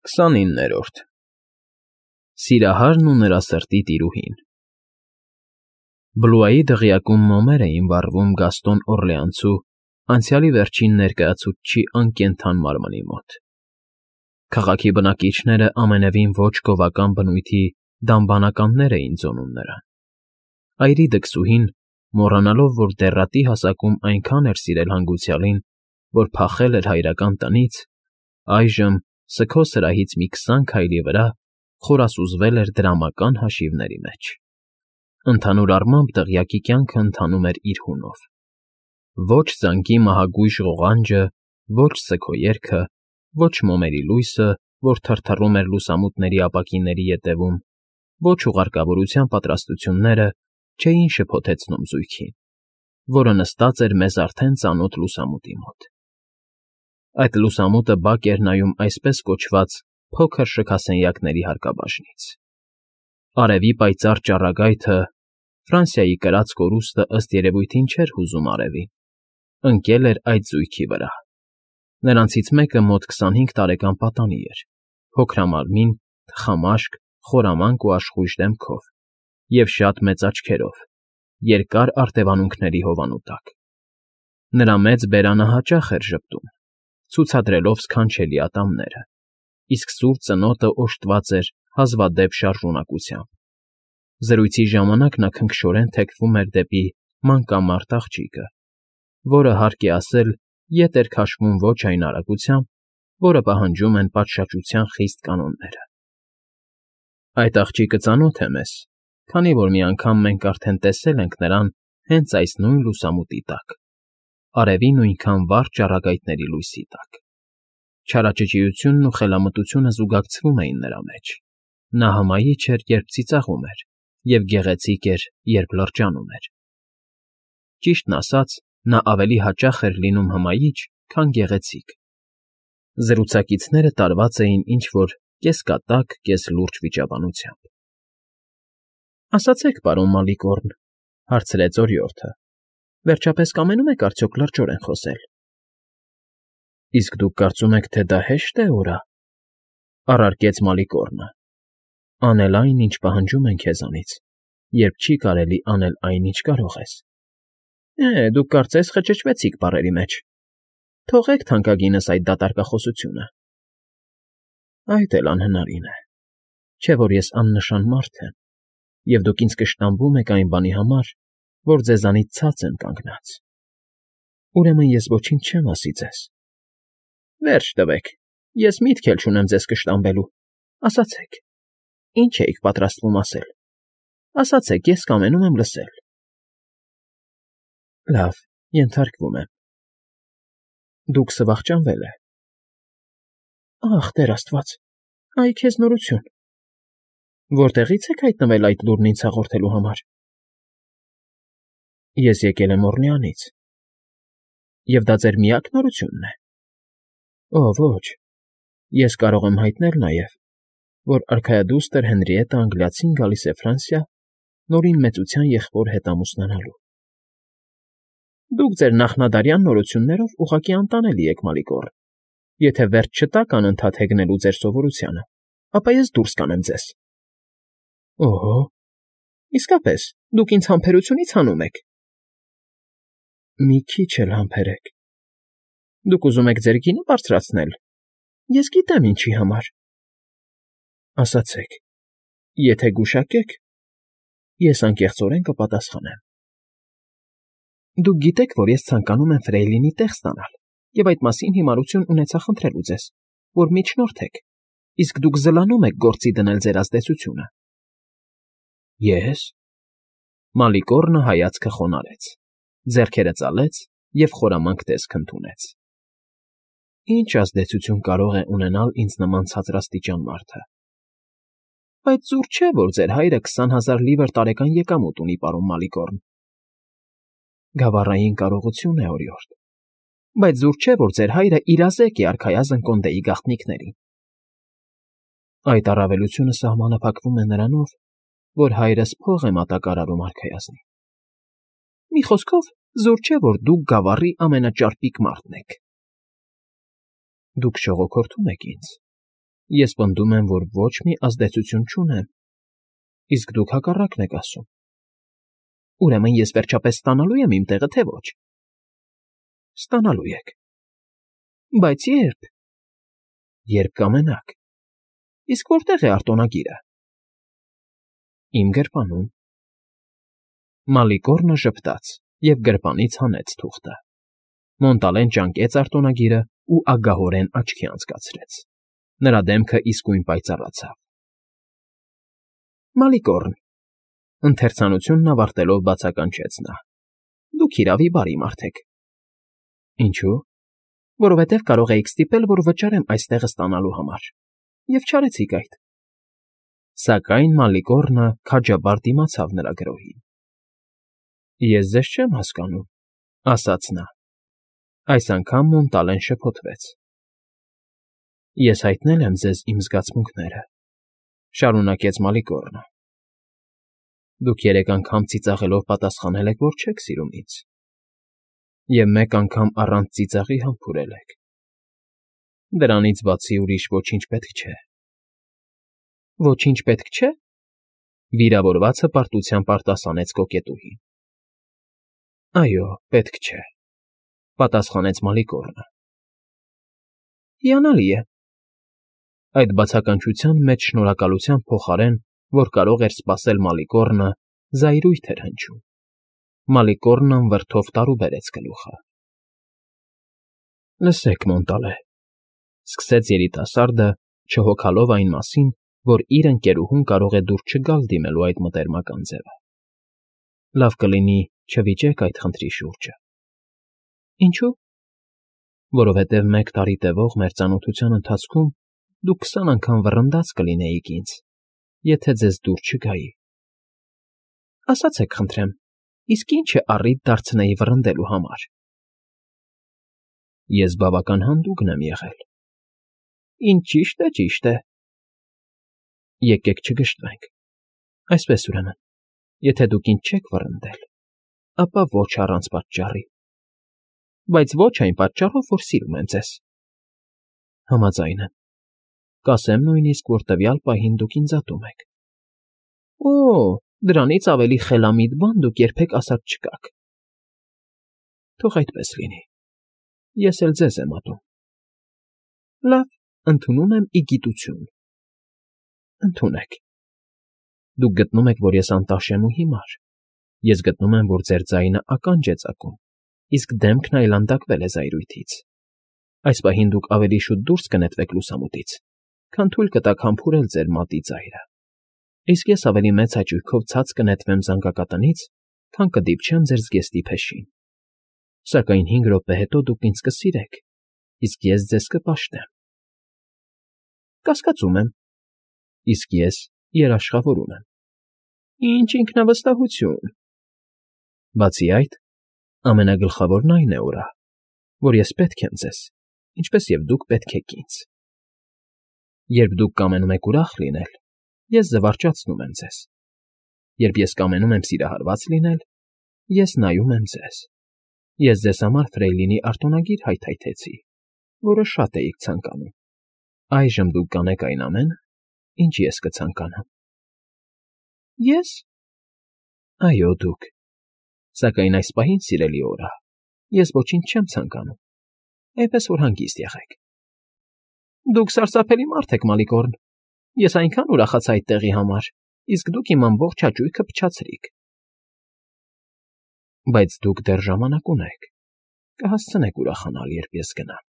29-րդ Սիրահարն ու նրա սրտի տիրուհին Բլուայի դղյակում մոմեր էին վառվում Գաստոն Օռլեանցու անցյալի վերջին ներկայացուցչի անկենդան մարմնի մոտ։ Քաղաքի բնակիչները ամենևին ոչ գովական բնույթի դամբանականներ էին ձոնում նրան։ Այրի դքսուհին, մոռանալով, որ դեռատի հասակում այնքան էր սիրել հանգուցյալին, որ փախել էր հայրական տնից, այժմ, սգո սրահից մի 20 քայլի վրա, խորասուզվել էր դրամական հաշիվների մեջ։ Ընդհանուր առմամբ դղյակի կյանքը ընթանում էր իր հունով։ Ոչ զանգի մահագույժ ղողանջը, ոչ սգո երգը, ոչ մոմերի լույսը, որ թրթռում էր լուսամուտների ապակիների ետևում, ոչ ուղարկավորության պատրաստությունները չէին շփոթեցնում զույգին, որը նստած էր մեզ արդեն ծանոթ լուսամուտի մոտ։ Այդ լուսամուտը բաք էր նայում այսպես կոչված փոքր շքասենյակների հարկաբաժնից։ Արևի պայծառ ճառագայթը, Ֆրանսիայի կրած կորուստը ըստ երևույթին չէր հուզում արևին, ընկել էր այդ զույգի վրա։ Նրանցից մեկը մոտ 25 տարեկան պատանի էր, փոքրամարմին, թխամաշկ, խորամանկ ու աշխույժ դեմքով և շատ մեծ աչքերով, երկար արտևանունքների հովանու տակ։ Նրա մեծ բերանը հաճախ էր ժպտում, ցուցադրելով սքանչելի ատամները, իսկ սուր ծնոտը օժտված էր հազվադեպ շարժունակությամբ։ Զրույցի ժամանակ նա քնքշորեն թեքվում էր դեպի մանկամարտ աղջիկը, որը, հարկ է ասել, ետ էր քաշվում ոչ այն արագությամբ, որը պահանջում են պատշաճության խիստ կանոնները։ Այդ աղջիկը ծանոթ է մեզ, քանի որ մի անգամ մենք արդեն տեսել ենք նրան հենց այս նույն լուսամուտի տակ, արևի նույնքան վառ ճառագայթների լույսի տակ։ Չարաճճիությունն ու խելամտությունը զուգակցվում էին նրա մեջ։ Նա հմայիչ էր, երբ ծիծաղում էր, և գեղեցիկ էր, երբ լրջանում էր։ Ճիշտն ասած, նա ավելի հաճախ էր լինում հմայիչ, քան գեղեցիկ։ Զրուցակիցները տարված էին ինչ֊որ կես֊կատակ, կես֊լուրջ վիճաբանությամբ։ ֊ Ասացեք, պարոն Մալիկորն,֊ հարցրեց օրիորդը,֊ վերջապես կամենում եք արդյոք լրջորեն խոսել։ ֊ Իսկ դուք կարծում եք, թե դա հեշտ է, օրա,֊ առարկեց Մալիկորնը,֊ անել այն, ինչ պահանջում են քեզանից, երբ չի կարելի անել այն, ինչ կարող ես։ Դուք կարծես խճճվեցիք բառերի մեջ։ Թողեք թանկագինս այդ դատարկախոսությունը։ Այդ էլ անհնարին է, չէ՞ որ ես աննշան մարդ եմ, և դուք ինձ կշտամբում եք այն բանի համար, որ ձեզանից ցած եմ կանգնած։ Ուրեմն ես ոչինչ չեմ ասի ձեզ։ Վերջ տվեք, ես միտք էլ չունեմ ձեզ կշտամբելու։ Ասացեք, ինչ էիք պատրաստվում ասել։ Ասացեք, ես կամենում եմ լսել։ Լավ, ենթարկվում եմ։ Դուք սվախճանվել է։ Ախ, Տեր Աստված, այ քեզ նորություն։ Որտեղից եք հայտնվել այդ լուրն ինձ հաղորդելու համար։ Ես եկել եմ Օռլեանից։ Եվ դա ձեր միակ նորությունն է։ Ոչ, ես կարող եմ հայտնել նաև, որ արքայադուստր Հենրիետտը Անգլիացին գալիս է Ֆրանսիա նորին մեծության եղբոր հետ ամուսնանալու։ Դուք ձեր նախնադարյան նորություններով ուղղակի անտանելի եք, Մալիկորն։ Եթե վերջ չտաք անընդհատ հեգնելու ձեր սովորությանը, ապա ես դուրս կանեմ ձեզ։ Օհո, իսկապես, դուք ինձ համբերությունից հանում եք։ Մի քիչ էլ համբերեք։ Դուք ուզում եք ձեր գինը բարձրացնել։ Ես գիտեմ ինչի համար։ Ասացեք, եթե գուշակեք, ես անկեղծորեն կպատասխանեմ։ Դուք գիտեք, որ ես ցանկանում եմ Ֆրեյլինի տեղ ստանալ, և այդ մասին հիմարություն ունեցա խնդրելու ձեզ, որ միջնորդեք, իսկ դուք զլանում եք գործի դնել ձեր ազդեցությունը։ Ես… Մալիկորնը հայացքը խոնարհեց, ձեռքերը ծալեց և խորամանկ տեսք ընդունեց։ Ինչ ազդեցություն կարող է ունենալ ինձ նման ցածրաստիճան մարդը։ Բայց զուր չէ, որ ձեր հայրը 20,000 լիվր տարեկան եկամուտ ունի, պարոն Մալիկորն։ Գավառային կարողություն է, օրիորդ, բայց զուր չէ, որ ձեր հայրը իրազեկ է արքայազն Կոնդեի գաղտնիքներին։ Այդ առավելությունը սահմանափակվում է նրանով, որ հայրս փող է մատակարարում արքայազնին։ Մի խոսքով, զուր չէ, որ դուք գավառի ամենաճարպիկ մարդն եք։ Դուք շողոքորթում եք ինձ, Ես պնդում եմ, որ ոչ մի ազդեցություն չունեմ, իսկ դուք հակառակն եք ասում։ Ուրեմն ես վերջապես ստանալու եմ իմ տեղը, թե ոչ։ Ստանալու եք։ Բայց երբ։ Երբ կամենաք։ Իսկ որտե՞ղ է արտոնագիրը։ Իմ գրպանում։ Մալիկորնը ժպտաց և գրպանից հանեց թուղթը։ Մոնտալեն ճանկեց արտոնագիրը ու ագահորեն աչքի անցկացրեց։ Նրա դեմքը իսկույն պայծառացավ։ Մալիկորն, ընթերցանությունն ավարտելով բացականչեց նա։ Դուք իրավի բարի մարդ եք։ Ինչու՞։ Որովհետև կարող էիք ստիպել, որ վճարեմ այստեղ ստանալու համար, և չարեցիք այդ։ Սակայն Մալիկորնը քաջաբար դիմացավ նրա գրոհին։ Ես ձեզ չեմ հասկանում, ասաց նա։ Այս անգամ Մոնտալեն շփոթվեց։ Ես հայտնել եմ ձեզ իմ զգացմունքները, շարունակեց Մալիկորնը։ Դուք 3 անգամ ծիծաղելով պատասխանել եք, որ չեք սիրում ինձ, և 1 անգամ առանց ծիծաղի համբուրել եք։ Դրանից բացի ուրիշ ոչինչ պետք չէ։ Ոչինչ պետք չէ։ Վիրավորվածը պարտությամբ արտասանեց կոկետուհին։ Այո, պետք չէ, պատասխանեց Մալիկորնը։ Հիանալի է։ Այդ բացականչության մեջ շնորհակալության փոխարեն, որ կարող էր սպասել Մալիկորնը, զայրույթ էր հնչում։ Մալիկորնն վրդով տարուբերեց գլուխը։ Լսեք, Մոնտալե, սկսեց երիտասարդը, չհոգալով այն մասին, որ իր ընկերուհուն կարող է դուր չգալ դիմելու այդ մտերմական ձևը։ Լավ կլինի չվիճեք այդ խնդրի շուրջը։ Ինչու՞։ Որովհետև 1 տարի տևող մեր ծանոթության ընթացքում դուք 20 անգամ վռնդած կլինեիք ինձ, եթե ձեզ դուր չգայի։ Ասացեք, խնդրեմ, իսկ ի՞նչ է առիթ դարձնեի վռնդելու համար։ Ես բավական հանդուգն եմ եղել։ Ինչ ճիշտ է։ Եկեք չգժտվենք։ Այսպես ուրեմն, եթե դուք ինձ չեք վռնդել, ապա ոչ առանց պատճառի։ Բայց ոչ այն պատճառով, որ սիրում եմ ձեզ։ Համաձայն եմ։ Կասեմ նույնիսկ, որ տվյալ պահին դուք ինձ ատում եք։ Օ, դրանից ավելի խելամիտ բան դուք երբեք ասած չկաք։ Թող այդպես լինի։ Ես էլ ձեզ եմ ատում։ Լավ, ընդունում եմ ի գիտություն։ Ընդունեք։ Դուք գտնում եք, որ ես անտաշ եմ ու հիմար։ Ես գտնում եմ, որ ձեր ձայնը ականջ է ծակում, իսկ դեմքն այլանդակվել է զայրույթից։ Այս պահին դուք ավելի շուտ դուրս կնետվեք լուսամուտից, քան թույլ կտաք համբուրել ձեր մատի ծայրը։ Իսկ ես ավելի մեծ հաճույքով ցած կնետվեմ զանգակատնից, քան կդիպչեմ ձեր զգեստի փեշին։ Սակայն 5 րոպե հետո դուք ինձ կսիրեք, իսկ ես ձեզ կպաշտեմ։ Կասկածում եմ։ Իսկ ես երաշխավորում եմ։ Ինչ ինքնավստահություն։ Բացի այդ, ամենագլխավորն այն է, օրա, որ ես պետք եմ ձեզ, ինչպես և դուք պետք եք ինձ։ Երբ դուք կամենում եք ուրախ լինել, ես զվարճացնում եմ ձեզ։ Երբ ես կամենում եմ սիրահարված լինել, ես նայում եմ ձեզ։ Ես ձեզ համար Ֆրեյլինի արտոնագիր հայթայթեցի, որը շատ էիք ցանկանում։ Այժմ դուք կանեք այն ամենը, ինչ ես կցանկանամ։ Ես։ Այո, դուք։ Սակայն այս պահին, սիրելի օրա, ես ոչինչ չեմ ցանկանում, այնպես որ հանգիստ եղեք։ Դուք սարսափելի մարդ եք, Մալիկորն։ Ես այնքան ուրախացա այդ տեղի համար, իսկ դուք իմ ամբողջ հաճույքը փչացրիք։ Բայց դուք դեռ ժամանակ ունեք, կհասցնեք ուրախանալ, երբ ես գնամ։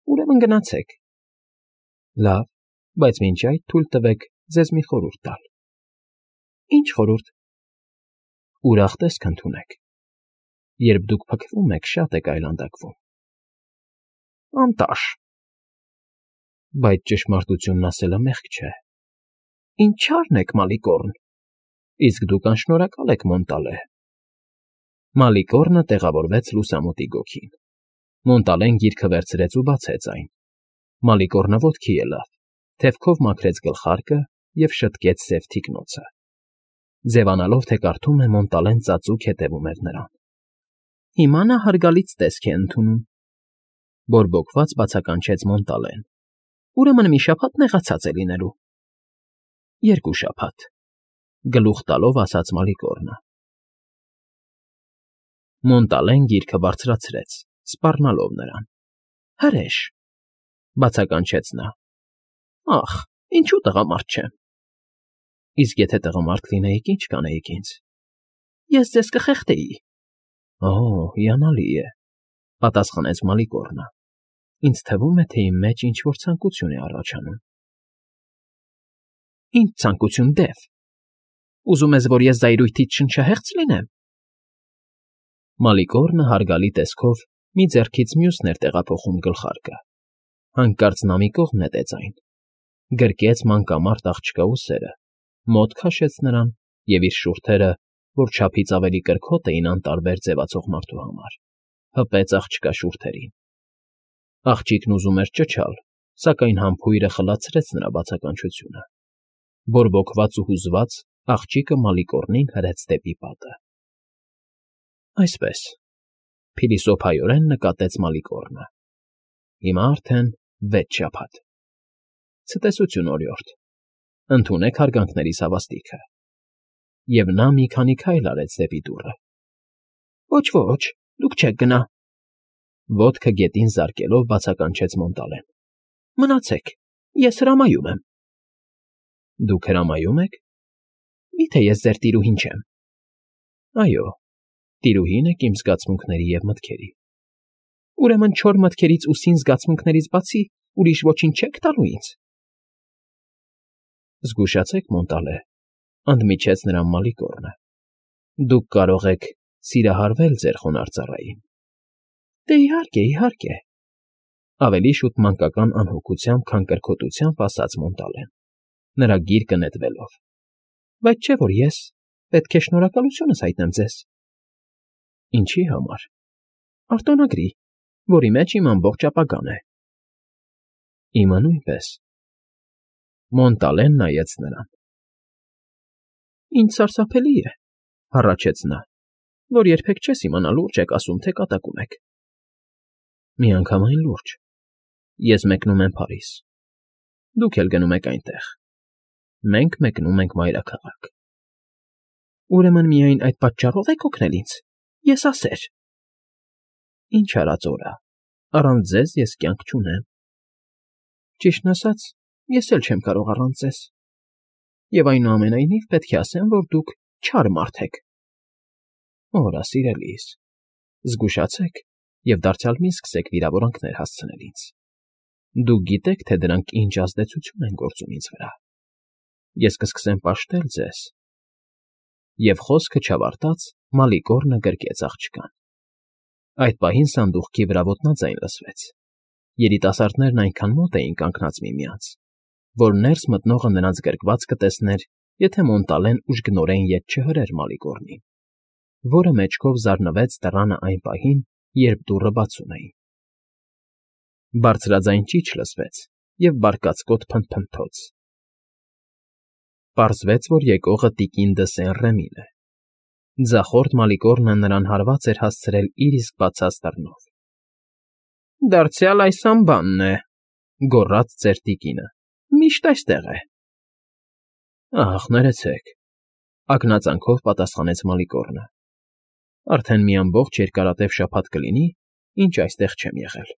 Ուրեմն գնացեք։ Լավ, բայց մինչ այդ թույլ տվեք ձեզ մի խորհուրդ տալ։ Ինչ խորհուրդ։ Ուրախ տեսք ընդունեք։ Երբ դուք փքվում եք, շատ եք այլանդակվում։ Անտաշ։ Բայց ճշմարտությունն ասելը մեղք չէ։ Ինչ չարն եք, Մալիկորն։ Իսկ դուք անշնորհակալ եք, Մոնտալե։ Մալիկորնը տեղավորվեց լուսամուտի գոգին։ Մոնտալեն գիրքը վերցրեց ու բացեց այն։ Մալիկորնը ոտքի ելավ, թևքով մաքրեց գլխարկը և շտկեց սև թիկնոցը։ Ձևանալով, թե կարդում է, Մոնտալեն ծածուկ հետևում էր նրան։ Հիմա նա հարգալից տեսք է ընդունում, բորբոքված բացականչեց Մոնտալեն։ Ուրեմն մի շաբաթ նեղացած է լինելու։ 2 շաբաթ, գլուխ տալով ասաց Մալիկորնը։ Մոնտալեն գիրքը բարձրացրեց, սպառնալով նրան։ Հրեշ, բացականչեց նա։ Ախ, ինչու տղամարդ չեմ։ Իսկ եթե տղամարդ լինեիք, ինչ կանեիք ինձ։ Ես ձեզ կխեղդեի։ Օ, հիանալի է, պատասխանեց Մալիկորնը։ Ինձ թվում է, թե իմ մեջ ինչ-որ ցանկություն է առաջանում։ Ինչ ցանկություն, Դեվ։ Ուզում ես, որ ես զայրույթից շնչահեղձ լինեմ։ Մալիկորնը հարգալի տեսքով մի ձեռքից մյուսն էր տեղափոխում գլխարկը։ Հանկարծ նա մի կողմ նետեց այն, գրկեց մանկամարտ աղջկա ուսերը, մոտ քաշեց նրան և իր շուրթերը, որ չափից ավելի կրքոտ էին անտարբեր ձևացող մարդու համար, հպեց աղջկա շուրթերին։ Աղջիկն ուզում էր ճչալ, սակայն համբույրը խլացրեց նրա բացականչությունը։ Բորբոքված ու հուզված աղջիկը Մալիկորնին հրեց դեպի պատը։ Այսպես, փիլիսոփայորեն նկատեց Մալիկորնը։ Հիմա արդեն 6 շաբաթ։ Ցտեսություն, օրիորդ, ընդունեք հարգանքներիս հավաստիքը։ Եվ նա մի քանի քայլ արեց դեպի դուռը։ Ոչ, դուք չեք գնա։ Ոտքը գետին զարկելով բացականչեց Մոնտալեն։ Մնացեք, ես հրամայում եմ։ Դուք հրամայում եք։ Միթե ես ձեր տիրուհին չեմ։ Այո, տիրուհին եք իմ զգացմունքների և մտքերի։ Ուրեմն չոր մտքերից ու սին զգացմունքներից բացի ուրիշ ոչինչ չեք տալու ինձ։ Զգուշացեք, Մոնտալե, ընդմիջեց նրան Մալիկորնը։ Դուք կարող եք սիրահարվել ձեր խոնարհ ծառային։ Դե իհարկե, ավելի շուտ մանկական անհոգությամբ, քան կրքոտությամբ ասաց Մոնտալեն, նրա գիրկը նետվելով։ Բայց չէ՞ որ ես պետք է շնորհակալությունս հայտնեմ ձեզ։ Ինչի համար։ Արտոնագրի, որի մեջ իմ ամբողջ ապագան է։ Իմը նույնպես։ Մոնտալեն նայեց նրան։ Ինչ սարսափելի է, հառաչեց նա, որ երբեք չես իմանա լուրջ եք ասում, թե կատակում եք։ Միանգամայն լուրջ։ Ես մեկնում եմ Փարիզ։ Դուք էլ գնում եք այնտեղ։ Մենք մեկնում ենք մայրաքաղաք։ Ուրեմն միայն այդ պատճառով եք օգնել ինձ։ Ես ասեր։ Ինչ արած օրա, առանց ձեզ ես կյանք չունեմ։ Ճիշտն ասած, ես էլ չեմ կարող առանց ձեզ։ Եվ այնուամենայնիվ պետք է ասեմ, որ դուք չար մարդ եք։ Օրա, սիրելիս, զգուշացեք և դարձյալ մի սկսեք վիրավորանքներ հասցնել ինձ։ Դուք գիտեք, թե դրանք ինչ ազդեցություն են գործում ինձ վրա։ Ես կսկսեմ պաշտել ձեզ։ Եվ խոսքը չավարտած Մալիկորնը գրկեց աղջկան։ Այդ պահին սանդուղքի վրա ոտնաձայն լսվեց։ Երիտասարդներն այնքան մոտ էին կանգնած միմյանց, որ ներս մտնողը նրանց գրկված կտեսներ, եթե Մոնտալեն ուժգնորեն ետ չհրեր Մալիկորնին, որը մեջքով զարնվեց դռանը այն պահին, երբ դուռը բացում էին։ Բարձրաձայն ճիչ լսվեց և բարկացկոտ փնթփնթոց։ Պարզվեց, որ եկողը տիկին դը Սեն֊Ռեմին է։ Ձախորդ Մալիկորնը նրան հարված էր հասցրել իր իսկ բացած դռնով։ Դարձյալ այս ամբանն է, գոռաց ծեր տիկինը, միշտ այստեղ է։ Ահ, ներեցեք, ակնածանքով պատասխանեց Մալիկորնը։ Արդեն մի ամբողջ երկարատև շաբաթ կլինի, ինչ այստեղ չեմ եղել։